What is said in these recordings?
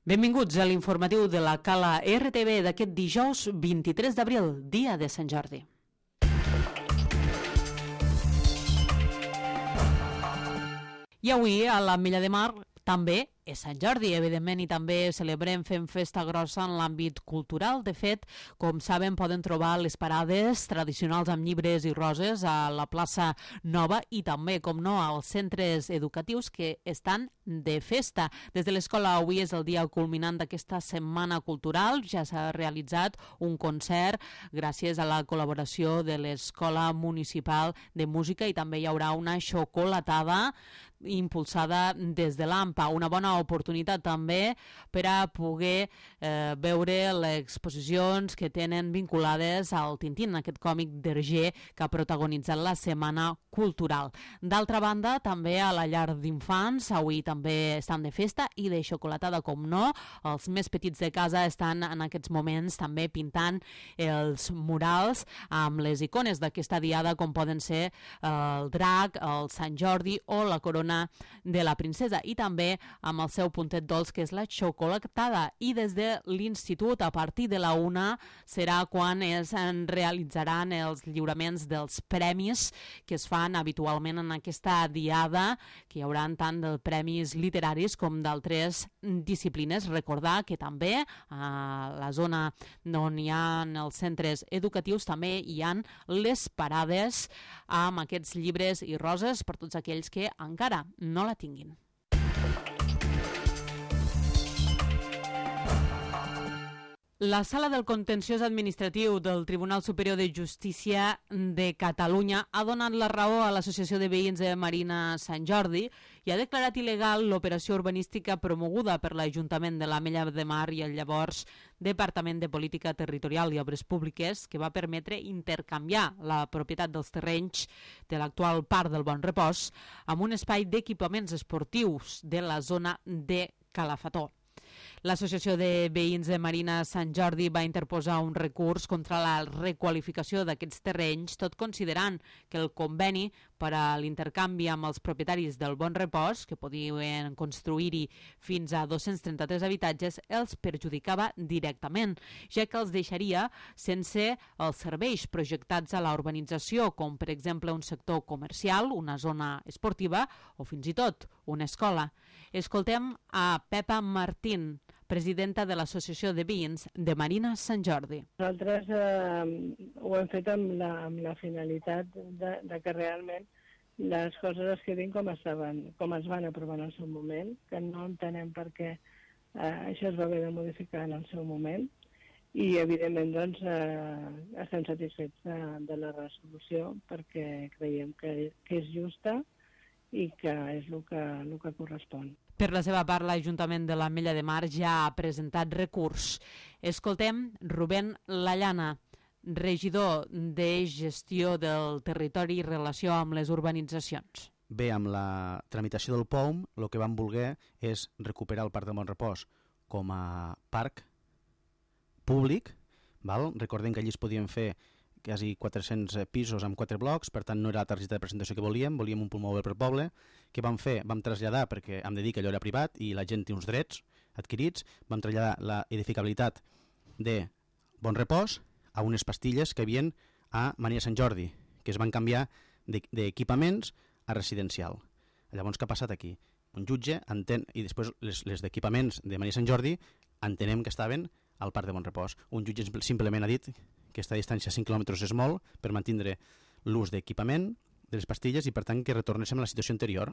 Benvinguts a l'informatiu de la Cala RTV d'aquest dijous 23 d'abril, dia de Sant Jordi. I avui a l'Ametlla de Mar també és Sant Jordi, evidentment, i també celebrem fent festa grossa en l'àmbit cultural. De fet, com saben, poden trobar les parades tradicionals amb llibres i roses a la plaça Nova i també, com no, als centres educatius que estan de festa. Des de l'escola avui és el dia culminant d'aquesta setmana cultural. Ja s'ha realitzat un concert gràcies a la col·laboració de l'Escola Municipal de Música i també hi haurà una xocolatada impulsada des de l'AMPA. Una bona oportunitat també per a poder veure les exposicions que tenen vinculades al Tintín, aquest còmic d'Hergé que ha protagonitzat la Setmana Cultural. D'altra banda, també a la llar d'infants avui també estan de festa i de xocolatada, com no. Els més petits de casa estan en aquests moments també pintant els murals amb les icones d'aquesta diada, com poden ser el drac, el Sant Jordi o la corona de la princesa, i també amb el seu puntet dolç, que és la xocolatada. I des de l'institut, a partir de la 1, serà quan es realitzaran els lliuraments dels premis que es fan habitualment en aquesta diada, que hi haurà tant de premis literaris com d'altres disciplines. Recordar que també a la zona on hi ha els centres educatius també hi ha les parades amb aquests llibres i roses per tots aquells que encara no la tinguin. La Sala del Contenciós Administratiu del Tribunal Superior de Justícia de Catalunya ha donat la raó a l'Associació de Veïns de Marina Sant Jordi i ha declarat il·legal l'operació urbanística promoguda per l'Ajuntament de l'Ametlla de Mar i el llavors Departament de Política Territorial i Obres Públiques, que va permetre intercanviar la propietat dels terrenys de l'actual Parc del Bon Repòs amb un espai d'equipaments esportius de la zona de Calafató. L'Associació de Veïns de Marina Sant Jordi va interposar un recurs contra la requalificació d'aquests terrenys, tot considerant que el conveni per a l'intercanvi amb els propietaris del Bon Repòs, que podien construir-hi fins a 233 habitatges, els perjudicava directament, ja que els deixaria sense els serveis projectats a la urbanització, com per exemple un sector comercial, una zona esportiva o fins i tot una escola. Escoltem a Pepa Martín, presidenta de l'Associació de Veïns de Marina Sant Jordi. Nosaltres ho hem fet amb la finalitat de que realment les coses es quedin com es van aprovar en el seu moment, que no entenem per què això es va haver de modificar en el seu moment, i evidentment doncs, estem satisfets de la resolució perquè creiem que és justa i que és el que correspon. Per la seva part, l'Ajuntament de l'Ametlla de Mar ja ha presentat recurs. Escoltem Rubén Lallana, regidor de Gestió del Territori i Relació amb les Urbanitzacions. Bé, amb la tramitació del POUM, el que vam voler és recuperar el Parc del Bon Repòs com a parc públic. Recordem que allí es podien fer quasi 400 pisos amb 4 blocs, per tant no era la targeta de presentació que volíem un pulmó per poble. Què vam fer? Vam traslladar, perquè hem de dir que allò era privat i la gent té uns drets adquirits, vam traslladar la edificabilitat de Bon Repòs a unes pastilles que hi havia a Marina Sant Jordi, que es van canviar d'equipaments a residencial. Llavors, què ha passat aquí? Un jutge entén, i després les d'equipaments de Marina Sant Jordi entenem que estaven al Parc de Bon Repòs. Un jutge simplement ha dit que aquesta distància de 5 quilòmetres és molt per mantenir l'ús d'equipament de les pastilles i per tant que retornéssim a la situació anterior.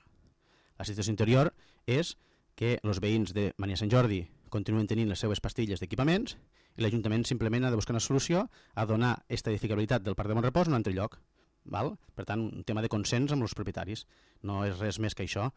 La situació anterior és que els veïns de Marina Sant Jordi continuen tenint les seues pastilles d'equipaments i l'Ajuntament simplement ha de buscar una solució a donar aquesta edificabilitat del Parc de Bon Repòs en un altre lloc. Per tant, un tema de consens amb els propietaris. No és res més que això.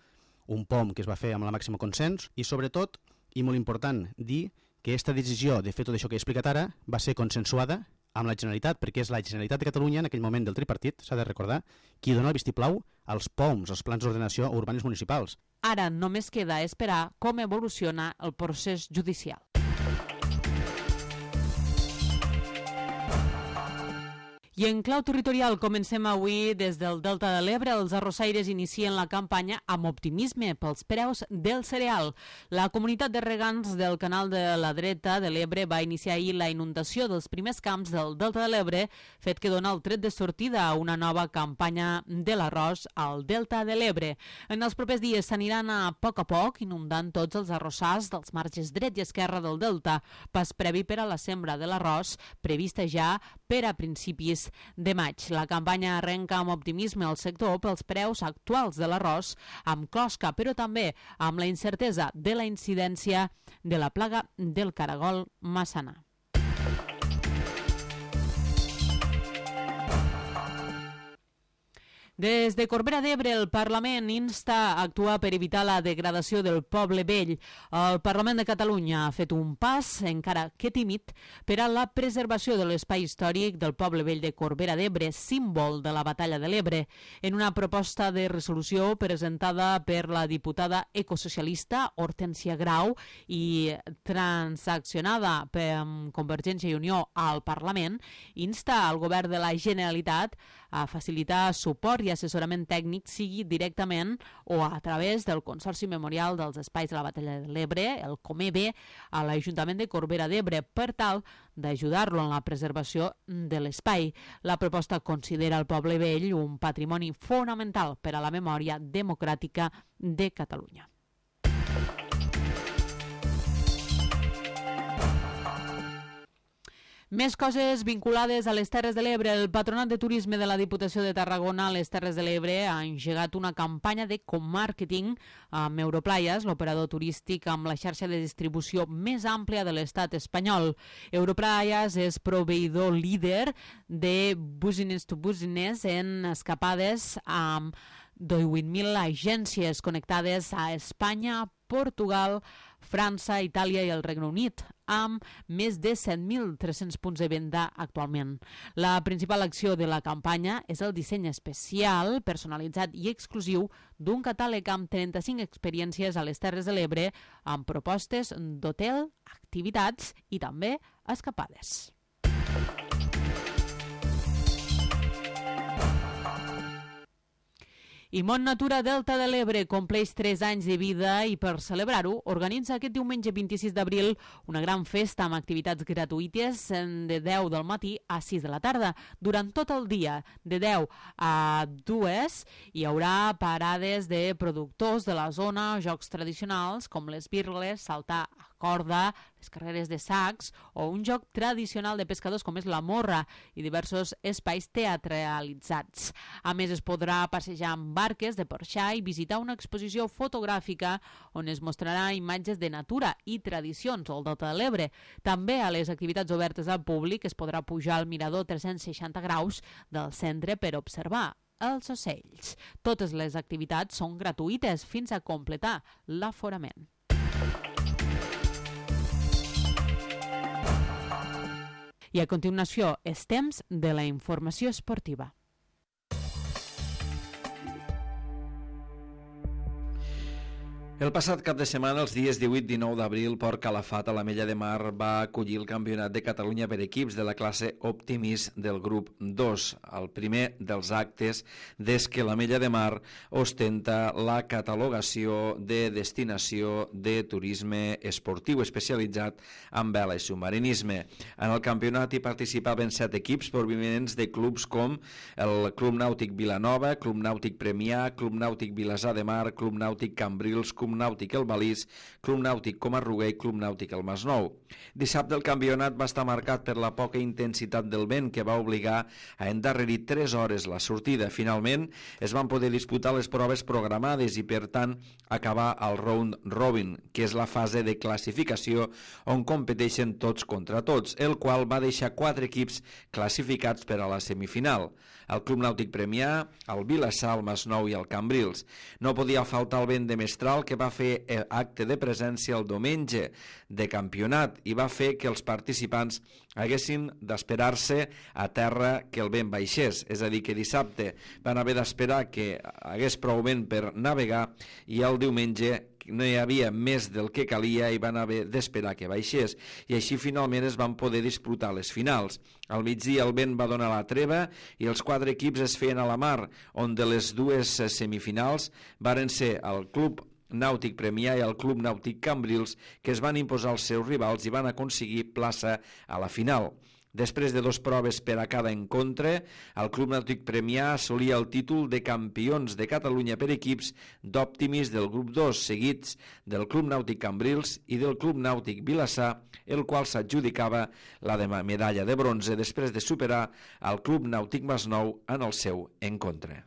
Un POM que es va fer amb la màxima consens i sobretot, i molt important, dir que aquesta decisió de fer tot això que he explicat ara va ser consensuada amb la Generalitat, perquè és la Generalitat de Catalunya, en aquell moment del tripartit, s'ha de recordar, qui dona el vistiplau als POMs, als plans d'ordenació urbanes municipals. Ara només queda esperar com evoluciona el procés judicial. I en clau territorial comencem avui des del Delta de l'Ebre. Els arrossaires inicien la campanya amb optimisme pels preus del cereal. La comunitat de regants del canal de la dreta de l'Ebre va iniciar ahir la inundació dels primers camps del Delta de l'Ebre, fet que dona el tret de sortida a una nova campanya de l'arròs al Delta de l'Ebre. En els propers dies s'aniran a poc inundant tots els arrossars dels marges dret i esquerra del Delta, pas previ per a la sembra de l'arròs, prevista ja per a principis de maig. La campanya arrenca amb optimisme al sector pels preus actuals de l'arròs, amb closca, però també amb la incertesa de la incidència de la plaga del caragol massana. Des de Corbera d'Ebre, el Parlament insta a actuar per evitar la degradació del poble vell. El Parlament de Catalunya ha fet un pas, encara que tímid, per a la preservació de l'espai històric del poble vell de Corbera d'Ebre, símbol de la batalla de l'Ebre. En una proposta de resolució presentada per la diputada ecosocialista Hortènsia Grau i transaccionada per Convergència i Unió al Parlament, insta al govern de la Generalitat a facilitar suport i assessorament tècnic, sigui directament o a través del Consorci Memorial dels Espais de la Batalla de l'Ebre, el COMEBE, a l'Ajuntament de Corbera d'Ebre, per tal d'ajudar-lo en la preservació de l'espai. La proposta considera el poble vell un patrimoni fonamental per a la memòria democràtica de Catalunya. Més coses vinculades a les Terres de l'Ebre. El Patronat de Turisme de la Diputació de Tarragona a les Terres de l'Ebre ha engegat una campanya de co-màrqueting amb Europlayas, l'operador turístic amb la xarxa de distribució més àmplia de l'estat espanyol. Europlayas és proveïdor líder de business to business en escapades amb 18.000 agències connectades a Espanya, Portugal, França, Itàlia i el Regne Unit, amb més de 7.300 punts de venda actualment. La principal acció de la campanya és el disseny especial, personalitzat i exclusiu d'un catàleg amb 35 experiències a les Terres de l'Ebre, amb propostes d'hotel, activitats i també escapades. I Mont Natura Delta de l'Ebre compleix 3 anys de vida i per celebrar-ho organitza aquest diumenge 26 d'abril una gran festa amb activitats gratuïtes de 10 del matí a 6 de la tarda. Durant tot el dia, de 10 a 2, hi haurà parades de productors de la zona, jocs tradicionals com les birles, saltar a corda, les carreres de sacs o un joc tradicional de pescadors com és la morra i diversos espais teatralitzats. A més, es podrà passejar amb barques de porxar i visitar una exposició fotogràfica on es mostrarà imatges de natura i tradicions al Delta de l'Ebre. També a les activitats obertes al públic es podrà pujar al mirador 360 graus del centre per observar els ocells. Totes les activitats són gratuïtes fins a completar l'aforament. I a continuació és temps de la informació esportiva. El passat cap de setmana, els dies 18-19 d'abril, Port Calafat a l'Ametlla de Mar va acollir el Campionat de Catalunya per equips de la classe Optimis del grup 2, el primer dels actes des que l'Ametlla de Mar ostenta la catalogació de destinació de turisme esportiu especialitzat en vela i submarinisme. En el campionat hi participaven 7 equips provinents de clubs com el Club Nàutic Vilanova, Club Nàutic Premià, Club Nàutic Vilassar de Mar, Club Nàutic Cambrils, Club Nàutic El Balís, Club Nàutic Comarruguer i Club Nàutic El Masnou. Dissabte el campionat va estar marcat per la poca intensitat del vent que va obligar a endarrerir 3 hores la sortida. Finalment es van poder disputar les proves programades i per tant acabar el round robin, que és la fase de classificació on competeixen tots contra tots, el qual va deixar 4 equips classificats per a la semifinal. El Club Nàutic Premià, el Vilassar, el Masnou i el Cambrils. No podia faltar el vent de mestral que va fer acte de presència el diumenge de campionat i va fer que els participants haguessin d'esperar-se a terra que el vent baixés, és a dir, que dissabte van haver d'esperar que hagués prou vent per navegar i el diumenge no hi havia més del que calia i van haver d'esperar que baixés, i així finalment es van poder disputar les finals. Al migdia el vent va donar la treva i els 4 equips es feien a la mar, on de les dues semifinals varen ser el Club Nàutic Premià i el Club Nàutic Cambrils, que es van imposar als seus rivals i van aconseguir plaça a la final. Després de 2 proves per a cada encontre, el Club Nàutic Premià assolia el títol de campions de Catalunya per equips d'Optimis del grup 2, seguits del Club Nàutic Cambrils i del Club Nàutic Vilassar, el qual s'adjudicava la medalla de bronze després de superar el Club Nàutic Masnou en el seu encontre.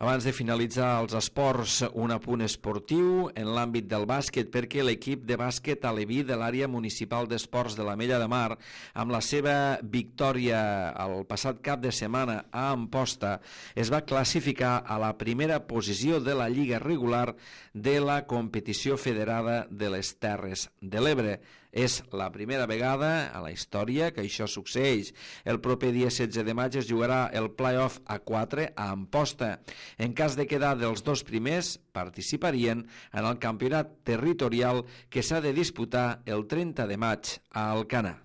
Abans de finalitzar els esports, un apunt esportiu en l'àmbit del bàsquet, perquè l'equip de bàsquet aleví de l'àrea municipal d'esports de l'Ametlla de Mar, amb la seva victòria el passat cap de setmana a Amposta, es va classificar a la primera posició de la lliga regular de la competició federada de les Terres de l'Ebre. És la primera vegada a la història que això succeeix. El proper dia 16 de maig es jugarà el play-off a 4 a Amposta. En cas de quedar dels 2 primers, participarien en el campionat territorial que s'ha de disputar el 30 de maig a Alcanar.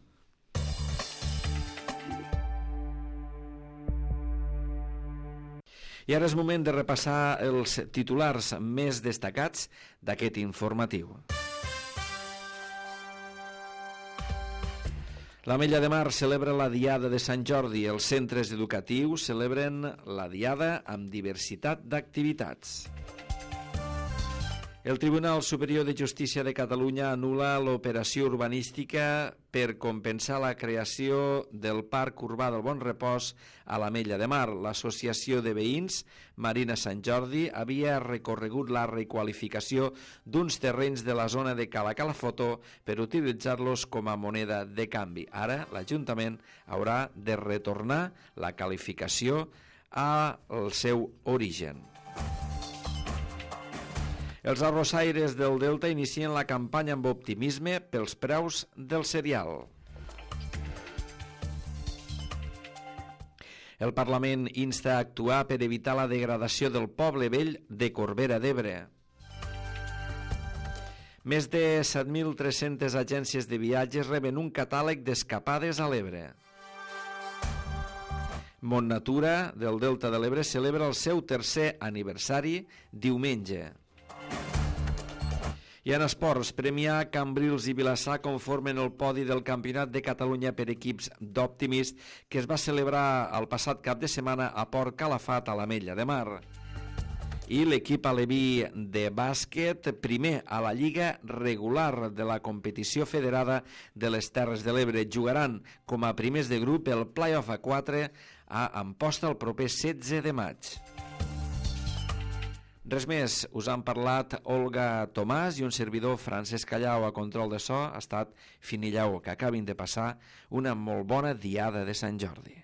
I ara és moment de repassar els titulars més destacats d'aquest informatiu. L'Ametlla de Mar celebra la Diada de Sant Jordi. Els centres educatius celebren la Diada amb diversitat d'activitats. El Tribunal Superior de Justícia de Catalunya anul·la l'operació urbanística per compensar la creació del Parc Urbà del Bon Repòs a l'Ametlla de Mar. L'Associació de Veïns Marina Sant Jordi havia recorregut la requalificació d'uns terrenys de la zona de Cala Calafoto per utilitzar-los com a moneda de canvi. Ara l'Ajuntament haurà de retornar la qualificació al seu origen. Els arrossaires del Delta inicien la campanya amb optimisme pels preus del cereal. El Parlament insta a actuar per evitar la degradació del poble vell de Corbera d'Ebre. Més de 7.300 agències de viatges reben un catàleg d'escapades a l'Ebre. Montnatura del Delta de l'Ebre celebra el seu 3è aniversari diumenge. I en esports, Premià, Cambrils i Vilassar conformen el podi del Campionat de Catalunya per equips d'Optimist que es va celebrar el passat cap de setmana a Port Calafat, a l'Ametlla de Mar. I l'equip aleví de bàsquet, primer a la lliga regular de la competició federada de les Terres de l'Ebre, jugaran com a primers de grup el play-off a 4 a Amposta el proper 16 de maig. Res més, us han parlat Olga Tomàs i un servidor Francesc Callau. A control de so ha estat Fini Lleó, que acabin de passar una molt bona diada de Sant Jordi.